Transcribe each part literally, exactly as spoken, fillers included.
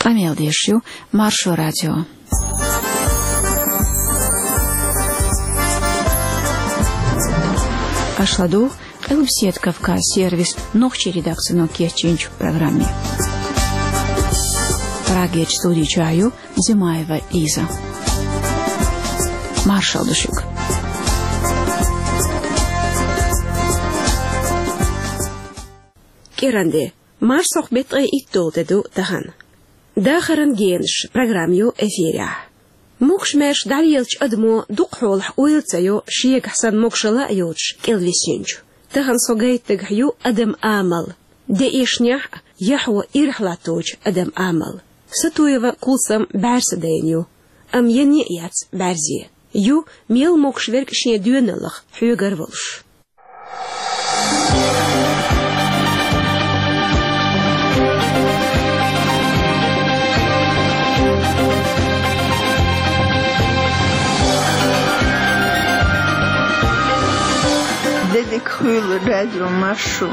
Къамел деш ю Маршо радио. Аша ладугӀу Къилбаседа Кавказ сервисан нохчийн редакцино кечйинчу программе. Прагерчу студи чохь ю Зимаева Лиза. Маршалла ду шуьга. КӀиранде. Марсхьокху беттан ткъе итт дола де ду тахана. Дахаран генаш программа ю эфирехь. Могуш-маьрша дӀалелачу адамо дукхахьолахь ойла ца йо шегахь санна могушалла а йоцуш кӀелвисинчу. Тахана со гайта дагахь ю адаман амал. Де эшнехь а, яхьо ирахь латточу адаман амал. Сатуева Кулсам бӀаьрса дайна ю. Амма ян а яц бӀаьрзе. Ю мел могуш верг шен доьналлах хьоьгара волуш. Де дика хуьлда, радио Маршо.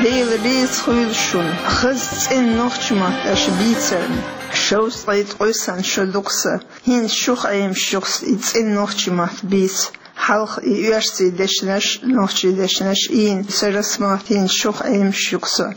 Дела реза хуьлда шуна, хаза цӀена нохчийн мотт аша бийцарна. Шовзткъе ткъе санна шо ду-кх сан. ХӀинца шух Ӏемаш ю-кх сан и цӀена нохчийн мотт бийца. Хьалха и оьрсийн дешнаш, нохчийн дешнаш ийна, сан расмотт хӀинца шух Ӏемаш ю-кх сан.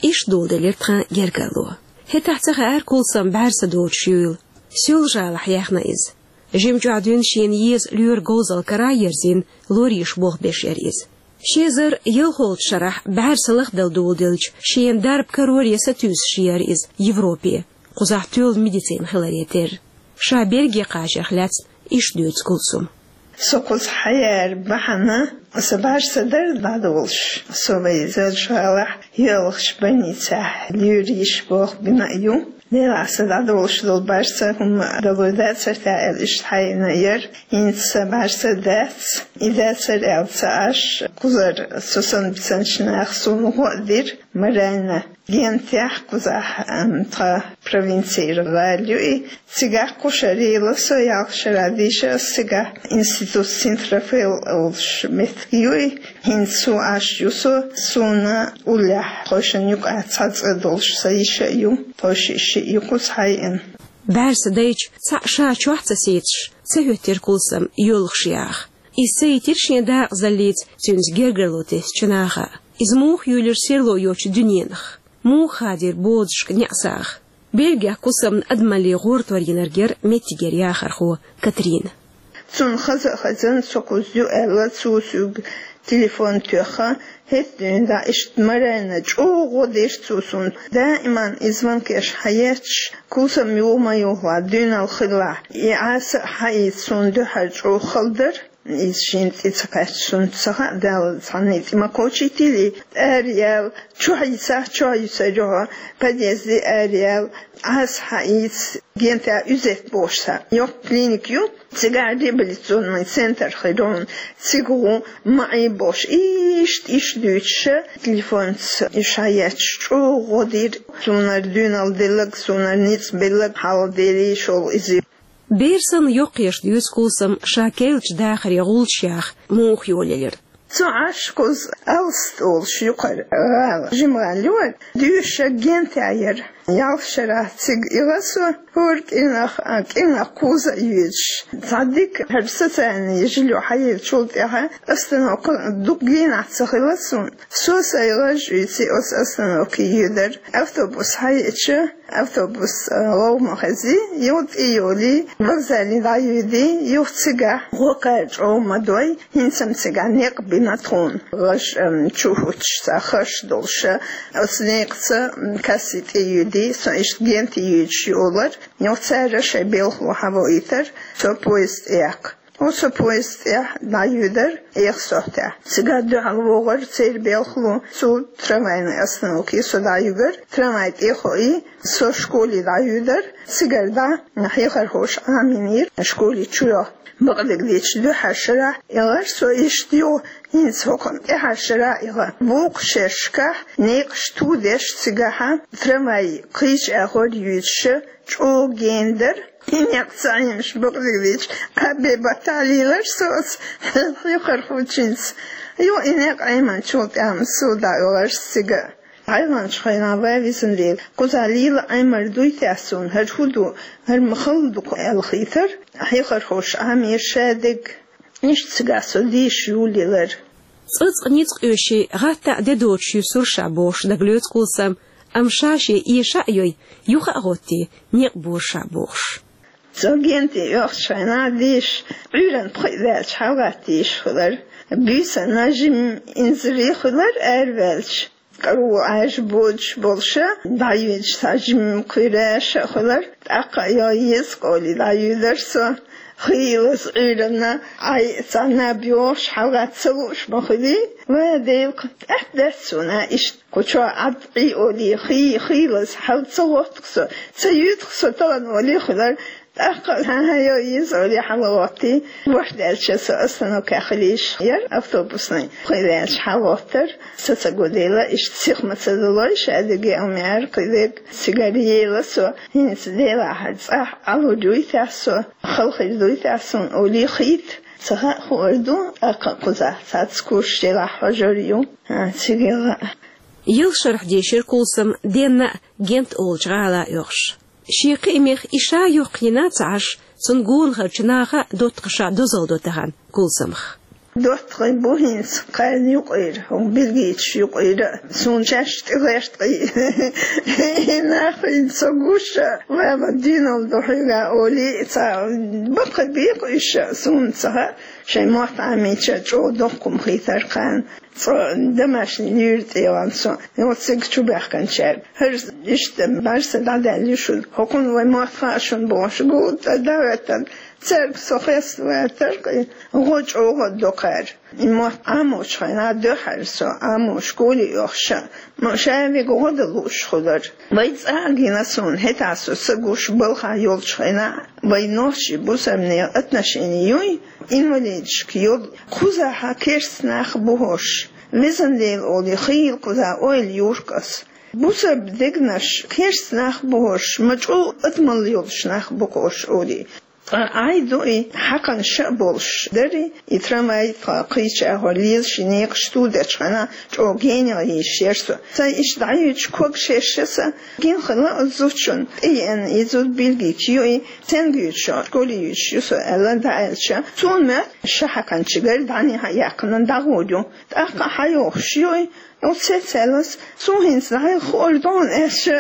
Иштта доладелира тхан гергарло. ХӀетахь ца хаьара Кулсам бӀаьрса доцуш юйла. Соьлжа-ГӀалахь яьхна иза. Жимчохь дуьйна шена еза лоьран говзалла кара а ерзийна, лоьрийн болх беш яра иза. Ши эзар ялхолгӀачу шарахь бӀаьрса лахдала доладелча, шена дарба кароре сатуьйсуш яра иза Европе, кхузахь тоьлла медицина хиларе терра. Ша Бельге кхачарх лаьцна иштта дуьйцу Кулсума. Со кхуза хьаяра бахьана, сан бӀаьрса дара дӀадолуш. Со вайн Соьлжа-ГӀалахь йоьалгӀачу больницехь лоьрийн болх бина а ю. Делахь сан дӀадолуш долу бӀаьрса хӀума далур дацара те аьлла, иштта хьаийна яра. ХӀинца сан бӀаьрса дац, и дацара аьлла ца Ӏаш, кхузара со санна бисинчу наха суна гӀо а дира, Марайна. Гентехь кхузахь, ам, тхан провинцера гӀала ю и. Цигахь кху шарийла со ялх шарахь дийша ас цигахь, институт Синт-Рафаэл олуш меттиг ю и. ХӀинца цу Ӏаш ю со, суна уллехь тхойшинна юкъахь цхьа цӀа долуш сан йиша а ю, тхойшиъ шиъ ю кхуза хьаеана. БӀаьрса дайча, цхьаъ ша чохь ца сецаш, ца хӀоьттира Кулсам йоьлхуш яха. Иза ца йитира шен дакъазаллица цуьнца гергарло тесначу наха. Иза муха юьйлира серло йоцучу дуьненах? Муха хадийра бозушка неӀсагӀа? Бельгехь Кулсамна адамаллин гӀортор йинарг яра меттигера яхархо Катрина. Цунна хаза а хезна, со кхуза ю аьлла, цо соьга телефон тоьхна, хӀетахь дуьйна дӀа иштта Марайна чӀогӀа гӀо дира цо суна. Даиман и звонкаш хьаетташ, Кулсам юха ма юхалахь, дуьйналла хилалахь, и Ӏаса а хьаийца суна дуьхьал чӀогӀа хала дара. Иза шена тӀе ца кхаьчча, суна ца хаьа, Дала цхьанна тӀе ма кхочийтийла, араяьлла, чохь йисахь, чохь йисар ю хьо, подъезде араяьлла, Ӏаса хьаийца, гентехь Юзеф бохуш цхьа йоккха клиника ю, цигахь реабилитационный центр хир ю, цига гӀо, ма Ӏе бохуш, иштта, иштта дуьйцуша, телефонца уьш хьаетташ чӀогӀа гӀо дира, суна дуьйналла делларг, суна ницкъ белларг, хьалха Деле шолгӀа иза. Бер санна йоккхаеш дуьйцу Кулсама ша керлачу дахаре гӀулчаш яха муха йолаелира. Цу Ӏаш кхуза Алста олуш юкъара гӀала, жима гӀала ю вайн, дуьйша гентехь яра. Ялх шарахь цига ила со, хӀора кӀирнах, а, кӀирнах кхуза а йоьдуш. Цхьа дика хӀара социальный жильё хьаеллачул тӀаьхьа остановка дукха генахь ца хилла суна. Со сайн гӀаж а уьйций оцу остановке йоьдара. Автобус хьаеъча, автобус, а, лов ма хези, юха тӀе йолий, вокзале дӀайоьдий, юха цигахь гӀо кхара чӀогӀа ма дой, хӀинца-м цигахь некъ бина тхуна. ГӀаж, ам, чу хӀуттуш цхьа хаш долуша, оцу некъаца, м, касси тӀе йоьдий, со иштта генте йоьдуш йолара, юха цара шайн белхало хьавоуьйтура, со поезд тӀеяккха. Оцу поезд тӀехь дӀайоьдара эха сохьтехь. Цигахь дуьхьал вогӀура церан белхало, цу трамвайный остановке со дӀаюьгура, трамвай тӀе а хоий, со школе дӀайоьдара, цигара дӀа хьехархоша Ӏамийнера школе чу йо. Бакъдерг дийцича, дуьххьара шарахь эгӀара со иштта йо, хӀинца хӀокхунна тӀаьххьара шарахь эгӀа. Вукху шерашкахь некъаш ту деш цигахьа трамвай кхечу агӀор йоьдуша, чӀогӀа гена дара. И некъ ца Ӏемаш, бакъдерг дийцича, а бе баттахь лелара со оцу хьехархочуьнца. Юха и некъ Ӏеминчул тӀаьхьа-м со дӀаоьлхура цига. Ӏайланчу хенахь вай везан Дела, кхузахь лела Ӏемар дуй те суна, хӀара хӀун ду, хӀара ма хала ду-кх аьлла хийтар, хьехархоша Ӏамийра шадерг. Иштта цигахь со дийша юлаелира. Цкъа-цкъа ницкъ оьший, гӀаттахь де доцуш юьсура ша бохуш дагалоьцу Кулсама, амма ша шен эша а йой, юха а гӀоттий, некъ бора ша бохуш. Со генте оьхучу хенахь дийша, Ӏуьйранна пхиъ ваьлча хьалагӀаттийша хилар. Буьйсанна жимма инзаре хилар араваьлча. КӀаро Ӏаьржа бодуш болуша, дӀаюьйцуш цхьа жимма кхуьйра аша а хилар, тӀаккха а йо еза кӀоли дӀаюьйлар со. Хийлаза Ӏуьйранна, Ӏай, цхьа наб йохуш, хьалагӀатта ца лууш ма хуьлий, ва Дела, тӀаьхьа дац суна иштта. Кху чохь Ӏад Ӏий олий, хий, хийлаза хьала ца гӀотту-кх со, ца юьйду-кх со тахана олий хилар, тӀаккха а хьан-хьан йо еза олий хьалагӀоттий, ворхӀ даьлча со остановкехь хилийша яра автобусный. Пхи ваьлча хьалагӀоттара, со ца гу дела, иштта сиха ма ца далой, ша дерриге а ма аьлла кхидерг, цигара ела со, хӀинца делахь цӀахь Ӏалур юй те со, хала хир дуй те суна олий хийта, ца хаьа хуур ду, тӀаккха а кхузахь цхьацца курсаш делахь хьожур ю, а, цигара а. Ялх шарахь дийшира Кулсама денна а, Гент олучу гӀала а оьхуш. Шен кхиамех и ша юххе йина а ца Ӏаш, цунна гонахарчу наха а, доттагӀаша а дозалла до тахана Кулсамах. ДоттагӀий бу хӀинца кхарна юкъара, хӀокху бельгийцаш юкъара а, суна шаьш тӀе гӀерта кхин. И нах хӀинца со гуш а, ва-ва, дуьйналла ду хьоьга олий, цхьа баккхий бекъа уьш а, суна ца хаьа, шайн мотт Ӏамийча чӀогӀа доккха хӀума хийтара кхарна. Цкъа домашний луьйра тӀе ван со, оцу цига чу баьхкинчаьрга. ХӀара иштта бӀаьрса дӀадаьлла ю шуна. ХӀокхунна вай мотт хаьа шуна бохуш, гулдан тӀе дӀахӀоьттина. Цаьрга со хеставаьлла тӀаккха, гӀо чӀогӀа до кхара. И мотт Ӏамочу хенахь дуьххьара со, Ӏамош гули оьхуш а, ма ша вига гӀо дан лууш хилар. Вай цӀа а гина суна, хӀетахь со са гуш балхахь йолчу хенахь, вай нохчий бусарнехан отношени юй, инвалидашка йолу, кхузахь керста нах бу хӀорш. Везан Дела олий, хийла кхузахь ойла юркъас. Бусарба дегнаш керста нах бу хӀорш, ма чӀогӀа адамалла йолуш нах бу хӀорш олий. Ткъа Ӏай ду и, хьакханаш а болуш дара и, и трамвай тхан кхийча агӀор лелаш и некъаш тудечу хенахь, чӀогӀа генах йийшира со. Сайн иштта дӀаюьйцуш ког шерша сан, гина хилла оцу зудчунна, тӀееана и зуда бельгийчу ю и, цуьнга юьйцуш, школе юьйцуш ю со аьлла дӀааьлча, цунна моьтту ша хьакханчигара дӀанехьа яьккхина дӀагӀур ю. ТӀаккха хьайохуш ю и, оцу сецаллас, цо хӀинца дӀайо хуур ду хьуна аьлча,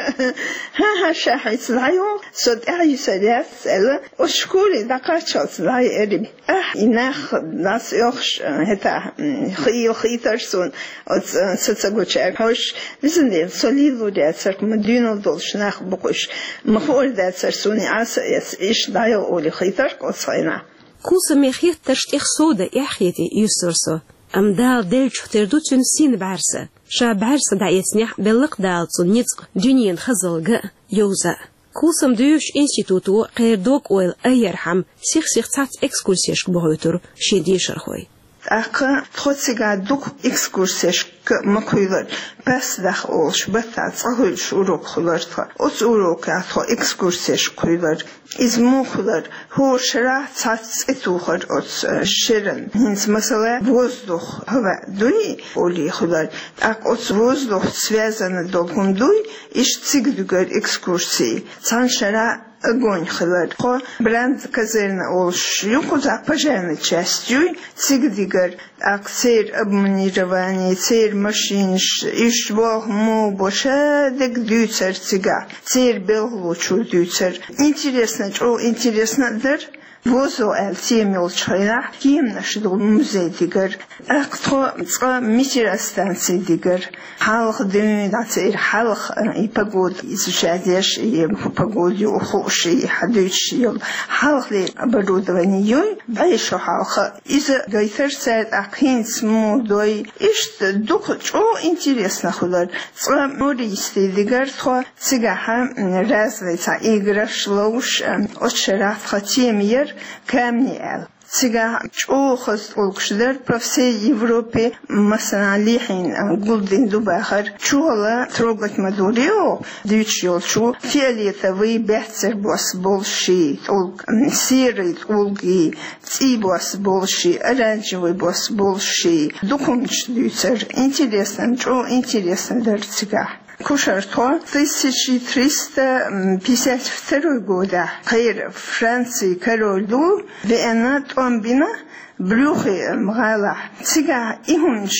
хӀан-хӀа, ша хӀинца дӀайо, со тӀаьхьа сар яц аьлла, оцу школе дӀакхаччалц дӀайо аьлла. Ахь, и нах дӀасаоьхуш, хӀетахь, м, хийла хийтара суна, оцу, э, са ца гучаьрга хьожуш, везан Дела, со лелалур яцара-кх, ма дуьйналла долуш нах бу-кх уьш, ма хуур дацара суна и Ӏаса а эца, иштта дӀайо олий хийтара-кх оцу хенахь. Кулсамин хеттарш тӀех сов дан эхь хетий, юьсура со. Амма Дала деллачух тера ду цуьнан син бӀаьрса. Ша бӀаьрса дӀаэцнехь, белла-кх Дала цунна ницкъ дуьненан хазалга а, йовза а. Кулсам доьшучу институто кхеран дог-ойла айъярхьама, сих-сиха цхьацца экскурсешка бохуьйтура шен дешархой. ТӀаккха тхо цигахь дукха экскурсешка ма кхуьйлура, пасдах олуш баттахь цкъа хуьлуш урок хуьлура тхан. Оцу урокехь тхо экскурсешка кхуьйлура. Иза муха хуьлура? ХӀора шарахь цхьацца цӀе тухура оцу, э, шеран. ХӀинца, масала, воздух, хӀаваъ дуй, олий хуьлура. ТӀаккха оцу воздухца связана долу хӀума дуй, иштта цига дуьгура экскурси. Цхьана шарахь огонь хилар. Тхо Бранд казарма олуш ю, кхузахь пожарная часть юй, цига дигар. ТӀаккха церан обмундирование, церан машинаш, уьш болх муха бо, ша дерг дуьйцура цигахь, церан белхалочо дуьйцура. Интересно, чӀогӀа интересно а дара. Воздух аьлла тема йолчу хенахь кеманаш долу музей дигар. ТӀаккха тхо цкъа метеостанци дигар. Хьалха дуьйна дӀа церан хьалха, э, и погода изучать еш, и погода юкъа хууш, и хьадуьйцуш йолу хьалхалера оборудование юй, бӀе шо хьалха. Иза гайтар цара, тӀаккха хӀинца муха дой. Иштта дукха чӀогӀа интересно хуьлар. Цкъа мористи дигар тхо, цигахь, м, разный цхьа играш ловш, э, оцу шарахь тхан тема яра камни аьлла. Цигахь чӀогӀа хаза тӀулгаш дара по всей Европе, массанхьа лехьийна гулдина ду бахар. Чухула трогать ма дора оха дуьйцуш йолчу фиолетовый, баьццара бос болуш ши тӀулг, серый тӀулгий, цӀий бос болуш ши, оранжевый бос болуш ши. Дукхачу дуьйцура, интересно, чӀогӀа интересно дара цигахь. Кушартхо тысяча триста пятьдесят второй годахь кхеран Францин король ду веана, тӀом бина Брюгге гӀалахь. Цигахь и хӀуманаш,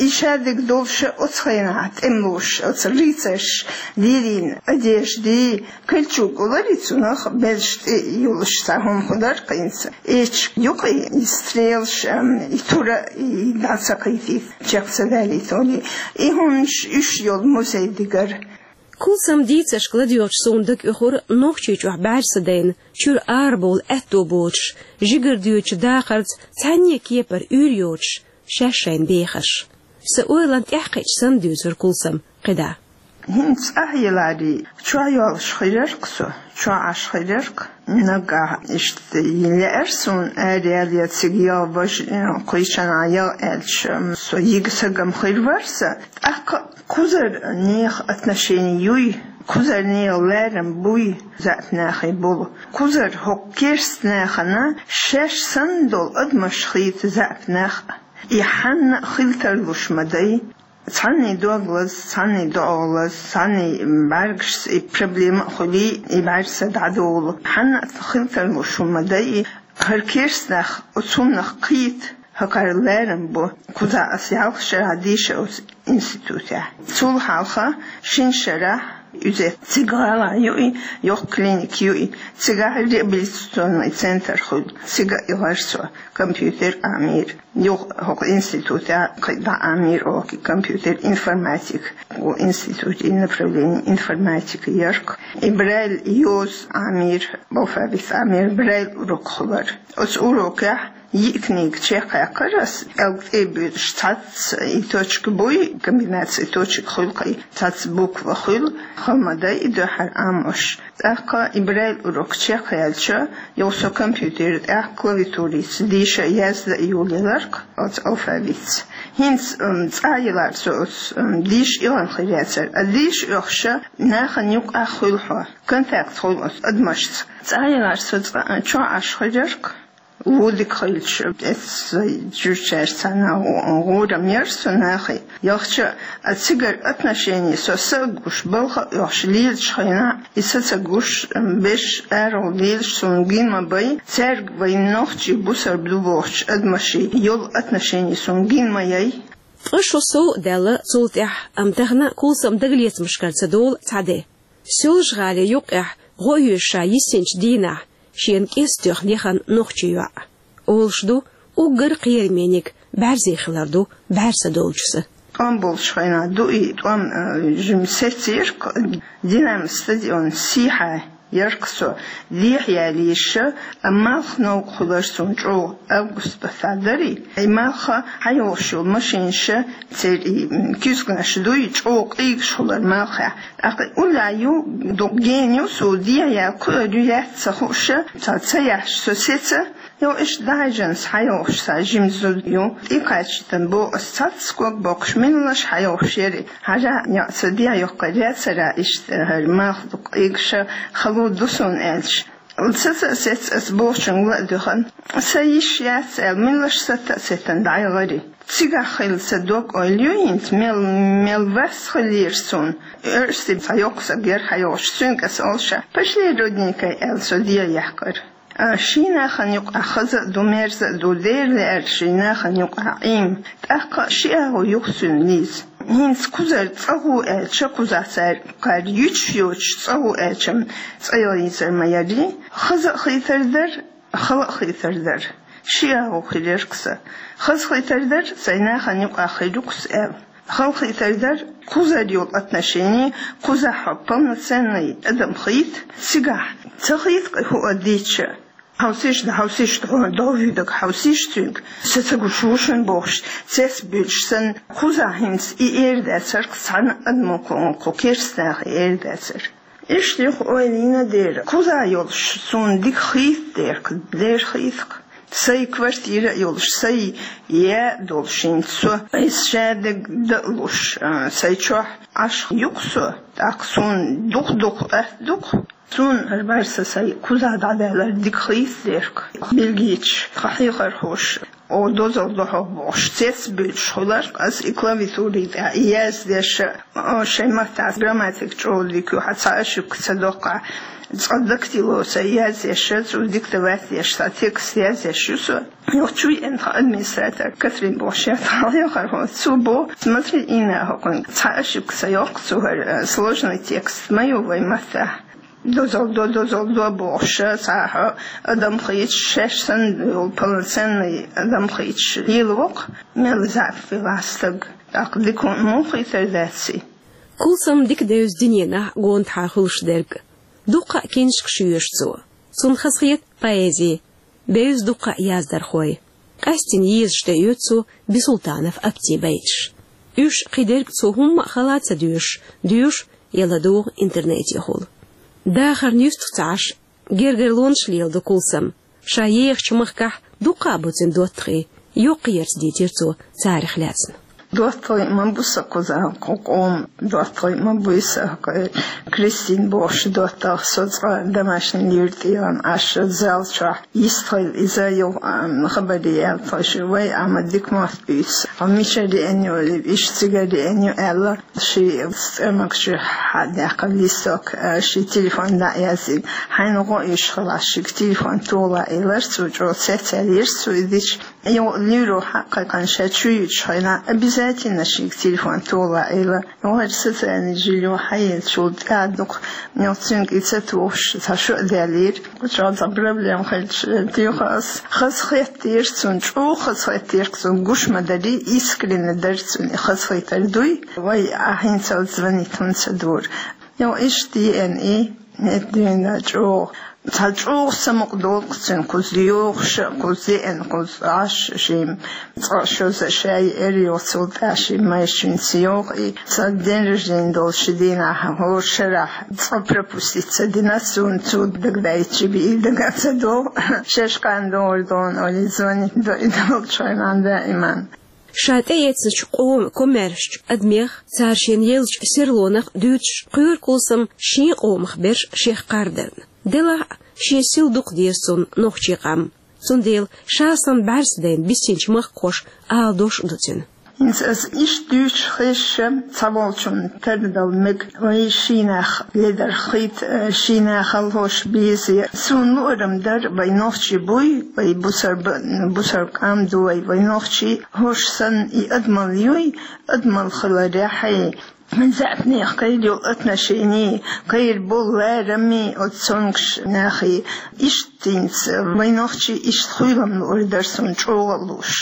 и шадерг долуш оцу хенахь тӀемалоша, оцу рыцарша лелийна одежда, кольчуга олура цунах, берзаш тӀе йолуш цхьа хӀума хуьлура кхин. Эчиг юкъа и стрелаш, ам, и тура, и дӀа ца кхийтийта, чекх ца далийта олий. И хӀуманаш уьш йолу музей дигара. Кулсаман дийцаршка ладоьгӀча суна дага оьхура Нохчийчохь бӀаьрса дайна, чуьра арабовла аьтто боцуш, жигара доьдучу дахарца цхьаьнне кепара уьйр йоцуш, шаьш шайна бехаш. Сан ойланна тӀаьхьакхиъча санна дуьйцура Кулсама кхидӀа. ХӀинца ахь еларий, чохь йолуш хир яра-кх со, чохь Ӏаш хир яра-кх. Нагахь иштта лаьара суна, араяьлла я цига яла, важа, э, кхечанхьа яла аьлча, со йига сагам хир вара сан. ТӀаккха кхузара нехан отношени юй, кхузара нехан ларам буй заьӀап нахе болу. Кхузара хӀокху керста нахана шаьш санна долу адамаш хийца заьӀап нах а. И хьанна а хила тарлуш ма дай. Цхьанний дог лаза, цхьанний доӀа лаза, цхьанний бӀаьргашца и проблема а хуьлий, и бӀаьрса дӀадолу. Хьанна а хила тарлуш хӀума дай, хӀара керста нах оцу хӀуманах кхийта, хӀокхара ларам бу. Кхузахь ас ялх шарахь дийша оцу институтехь. Цул хьалха шина шарахь иза цига гӀала юй, йоккха клиника юй, цигахь реабилитационный центр хуьлу, цига а эгӀара со компьютер Ӏамийра. Юха хӀокху институтехь кхин дӀа Ӏамийра оха компьютер информатика. Ву институтехь направление информатика яра-кх. И Брайль йоза Ӏамийра, алфавит Ӏамийра, Брайль урок хуьлура. Оцу урокехь йиъ книга чекхъяьккхира ас, кӀелга тӀе а буьйлуш, цхьацца и точка буй, комбинация точек хуьлу-кх, цхьацца буква хуьлу, хала ма дай и дуьххьара Ӏамош. ТӀаккха и Брайль урок чекхъяьлча, юха со компьютер тӀехь клавиатурица дийша, язда а йолаелира-кх оцу алфавитца. ХӀинца, м, цӀа а елара со оцу, м, дийша оьхна хир яцара. А дийша оьхуш нахана юкъахь хуьлу хьо, контакт хуьлу оцу адамашца. ЦӀа а елара со цкъа а чохь Ӏаш хир яра-кх. Ву дика хилча, эццахь жуьгтичаьрца цхьаьна гӀо-, гӀурам яра со нахе. Яхача а цигара отношени со са а гуш, балха а оьхуш лелачу хенахь, и са ца гуш, берш арахула лелаш суна гина ма бай, цаьрга вайн нохчий бусалба ду бохучу адамашца йолу отношени суна гина ма яй. Ткъа шо сов а даьлла цул тӀаьхьа, амма тахана Кулсама дагалецамашкара ца долу цхьа де. Соьлжа-ГӀалин юккъехь гӀо оьшу ша йисинчу дийнахь шена кӀезиг тоьхна яхана нохчи йоӀ. Олуш ду, уггар кхерамниг бӀаьрзе хилар ду бӀаьрса долчуьра. ТӀом болчу хенахь ду и, тӀом, э, жимма сецира-кх, Динамо стадион сехьа яра-кх со, дехьа ялийша, амма малх новкъа хуьлура суна чӀогӀа, август баттахь дара и. И малх хьайолуш йолу машинаш, церан и, м, куьзганаш дуй, чӀогӀа къийгаш хуьлура малхехь. ТӀаккха уллехь ю, дукха гена ю, со дехьа яла кхуьур ю, яц ца хууш, цхьа ца яхьаш со сеца, йо, иштта дӀахьаьжна хьайолуш сан жима зуда ю. ТӀекхачийтина боху ас цхьацца ког боккхуш, меллаша хьайолуш яра и. Хьажахь, йо, сан дехьа йоккхур яцара иштта, хӀара малх дукха къийгаш, хало ду суна аьлча. Сан ца а сеца, ас бохучуьнга ла а дуьхна, сан йиш яц аьлла, меллаша сатта а сеттина дӀаяхара и. Цигахь хилла сан дог-ойла ю хӀинца, мел, мел вас хиллера суна. Оьрсийн цхьа йоккха стаг яра хьайолуш, цуьнга ас олуш, пошли, родненькая, аьлла, со дехьа яьккхира. А, шен нахана юкъахь хаза а ду, мерза а ду, дера лаьара шен нахана юкъахь Ӏийна. ТӀаккха ши агӀо ю-кх цуьнан, Лиза. ХӀинца кхузара цӀа гӀо аьлча, кхузахь цара кхара юьтуш йоцуш цӀа гӀо аьлча-м, цӀа яла йийцар ма яра и. Хаза а хийтар дара, хала а хийтар дара. Ши агӀо хир яра-кх сан. Хаза хийтар дара, сайн нахана юкъахь хир ю-кх со аьлла. Хала хийтар дара, кхузара йолу отношени, кхузахь хьо полноценный адам хийта, цигахь ца хийта-кх хӀуъа дийцча. Хьовсийша, хьовсийша, хьо дов вуьйдаг, хьовсийша цуьнга. Сан ца гуш ву шуна бохуш, цец буьйлуш санна, кхузахь хӀинца и эр дацара-кх цхьана адамо, кху, кху керста наха эр дацара. Иштта юха ойла йина дера, кхузахь йолуш суна дика хийта дера-кх, дера хийта-кх. Сай квартира а йолуш, сай яа а долуш хӀинца со, иза шадерг дан а луш, а, сай чохь Ӏаш ю-кх со, тӀаккха суна дукха-дукха атта ду-кх. Суна хӀара бӀаьрса сай кузахь дӀадаьлларг дика хийцадерг. Бельгийчу тхан хьехархоша, о, дозалла до хьо бохуш, цец а буьйлуш хуьлура-кх ас и клавиатурин тӀехь, и яздеш, о, шайн маттахь грамматика чӀогӀа дика ю, хьан цхьа ошибка ца доккху, цкъа дактило сай язъеш, цо диктовать деш, цхьа текст язъеш ю со. Юха чу еана тхан администратор Катрин бохуш яра тхан хьехархо, цо боху: «Смотри, Инна, хӀокхуьнга цхьа ошибка ца йоккху цо, хӀара, э, сложный текст ма ю вайн маттахь». Дозалла до, дозалла до бохуш, цхьа хьо адам хийцаш, шаьш санна йолу полноценный адам хийцаш лелаво-кх, мел заьӀап велахь стаг, тӀаккха дика хӀума муха хийтар дац и? Кулсам дика девза дуьненахь гонаха хуьлуш дерг. Дуккха а киншкаш йоьшу цо. Цунна хазахета поэзи. Бевза дуккха а яздархой. Къаьсттина езаш тӀеоьцу цо Бисултанов Аптин байташ. Уьш кхидерг цо хӀумма а хала ца доьшуш, доьшу я ладугӀу интернетехула. Дахарна юьстах ца Ӏаш, гергарлонаш леладо Кулсам. Ша ехачу махкахь дуккха а бу цуьнан доттагӀий, йоккхаерца дийцира цо царах лаьцна. ДоттагӀий ма бу сан кхузахь, кху къоман доттагӀий ма буй сан, кху Кристин бохуш доттагӀа, со цкъа домашний юьртӀехула Ӏаш зал чохь йистхила иза юха, а, хабаре яьлла тхо ши, вай, а, ма дика мотт буьйцу. Хьо мичара еана ю, иштта цигара еана ю аьлла, ши цӀермагчуьра хьадаьккхина листок, а, ши телефон дӀа а яздина. Хьайна гӀо оьшуш хилахь, шига телефон тоха лаьа элира цо, чӀогӀа цецъяьллера цо и дича. Юха луьйро хьа а кхайкхина, ша чу юьтуш хенахь, обязательно шига телефон тоха лаьа элира. Юха хӀара социальный жильё хьаеллачул тӀаьхьа дукха, юха цуьнга и ца тухуш, цхьа шо а даьллера. Кху чохь цхьа проблема хилча, туьйхира ас. Хазахеттера цунна, чӀогӀа хазахеттера цунна, гуш ма дарий, искренне дара цунна и хазахетар дуй. Вай, ахь хӀинцалц звонить хӀунда ца дора? Юха иштта еана и, хӀетта дуьйна чӀогӀа. Цхьа чӀогӀа самукъадолу-кх цуьнан кхуза йогӀуш а, кхуза еана, кхуза Ӏаш а шимма. Цкъа шозза ша еара, юха цул тӀаьхьа шимма майрачуьнца йогӀу и. Цхьа день рождения долу ши дийнахь, хӀора шарахь цкъа пропустить ца дина, суна цо дагадайтича бен и дага ца догӀу. Шаьш кхана догӀур ду хьуна олий, звонить до и долчу хенахь даиман. Ша тӀеэцначу къоман комаьршачу адамех, цара шена еллачу серлонах дуьйцуш, кхоьру Кулсам шен къомах берш шех кхардарна. Делахь а, шен сил дукха деза цунна нохчийн къам. Цундела ша санна бӀаьрса дайна биссинчу махкахоша ала дош а ду цуьнан. ХӀинца ас иштта дуьйцуш хезча, цхьаволчунна тардала мега, вай шийнах ледар хийта, шийнах хьалхош беза. Суна луург дара, вай нохчий буй, вай бусар-, бусар-, къам ду вай, вай нохчий, хӀорш санна и адамалла юй, адамалла хиларехь, заьӀапнех кхайр йолу отношение, кхайр болу лараме оцу цомгуш нахе. Иштта хӀинца вай нохчий иштта хуьйлам луург дара суна чӀогӀа а лууш.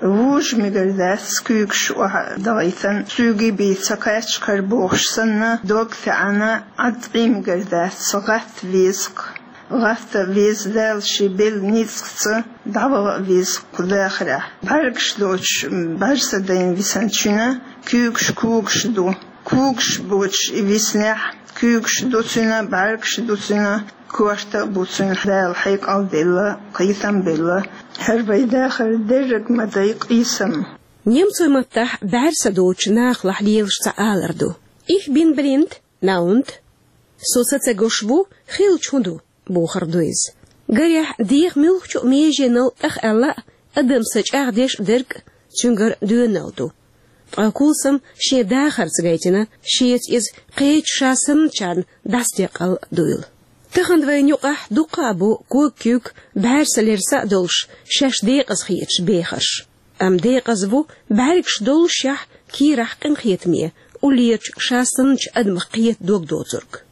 Вужа мегар дац куьйгаш охьа дахийтан, цуьнга бен ца кхаьчча кхара бохуш санна, дог таьӀна, Ӏад къиймагар дац, гӀатта веза-кх. ГӀатта веза, Дала шен белла ницкъаца дӀаваха а веза-кх кху дахарехь. БӀаьргаш доцуш, бӀаьрса дайна висанчуьнан куьйгаш, когаш ду. Когаш боцуш и виснехь, куьйгаш ду цуьнан, бӀаьргаш ду цуьнан, корта а бу цуьнан, Дала хьекъал делла, кхетам белла. ХӀара вай дахар дерриг ма дай къийсам. Немцойн маттахь бӀаьрса доцучу нахалахь лелаш цхьа алар ду: «Ich bin blind, na und?» Со сацагуш ву, хилча хӀун ду? Бохург ду иза. Гарехь, деха муьлххачу а меженал тӀахъаьлла а, адам са чӀагӀдеш а дерг а цуьнгара доьналла ду. Ткъа Кулсам шен дахарца гайтина, шеца иза кхечу ша санначарна дӀасадекъал а дуйла. Тахана вайна юкъахь дуккха а бу ког-куьг, бӀаьрса-лерса а долуш, шаьш декъаза хеташ бехарш. Амма декъаза ву, бӀаьргаш доллушехь, кийрахь къинхетаме, уллерчу ша санначу адамах кхета дог доцург.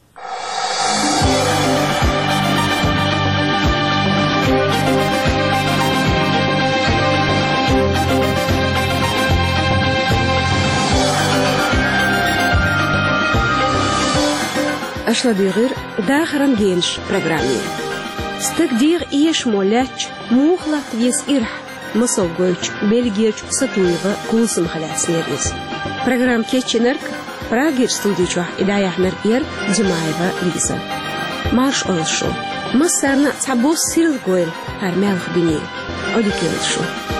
Аша ладуьйгӀира «Дахаран генаш» программе. Стаг дегӀан эшамо лаьттача, муха латта веза ирахь? Масал гойтуш, Бельгерчу Сатуева Кулсамах лаьцнера иза. Программа кечйинарг, Прагерчу студи чохь и дӀаяьхьнарг яра Димаева Лиза. Марша Ӏойла шу. Массарна а цхьабосса сирла гойла хӀара маьлха дуьне. Olivia Show.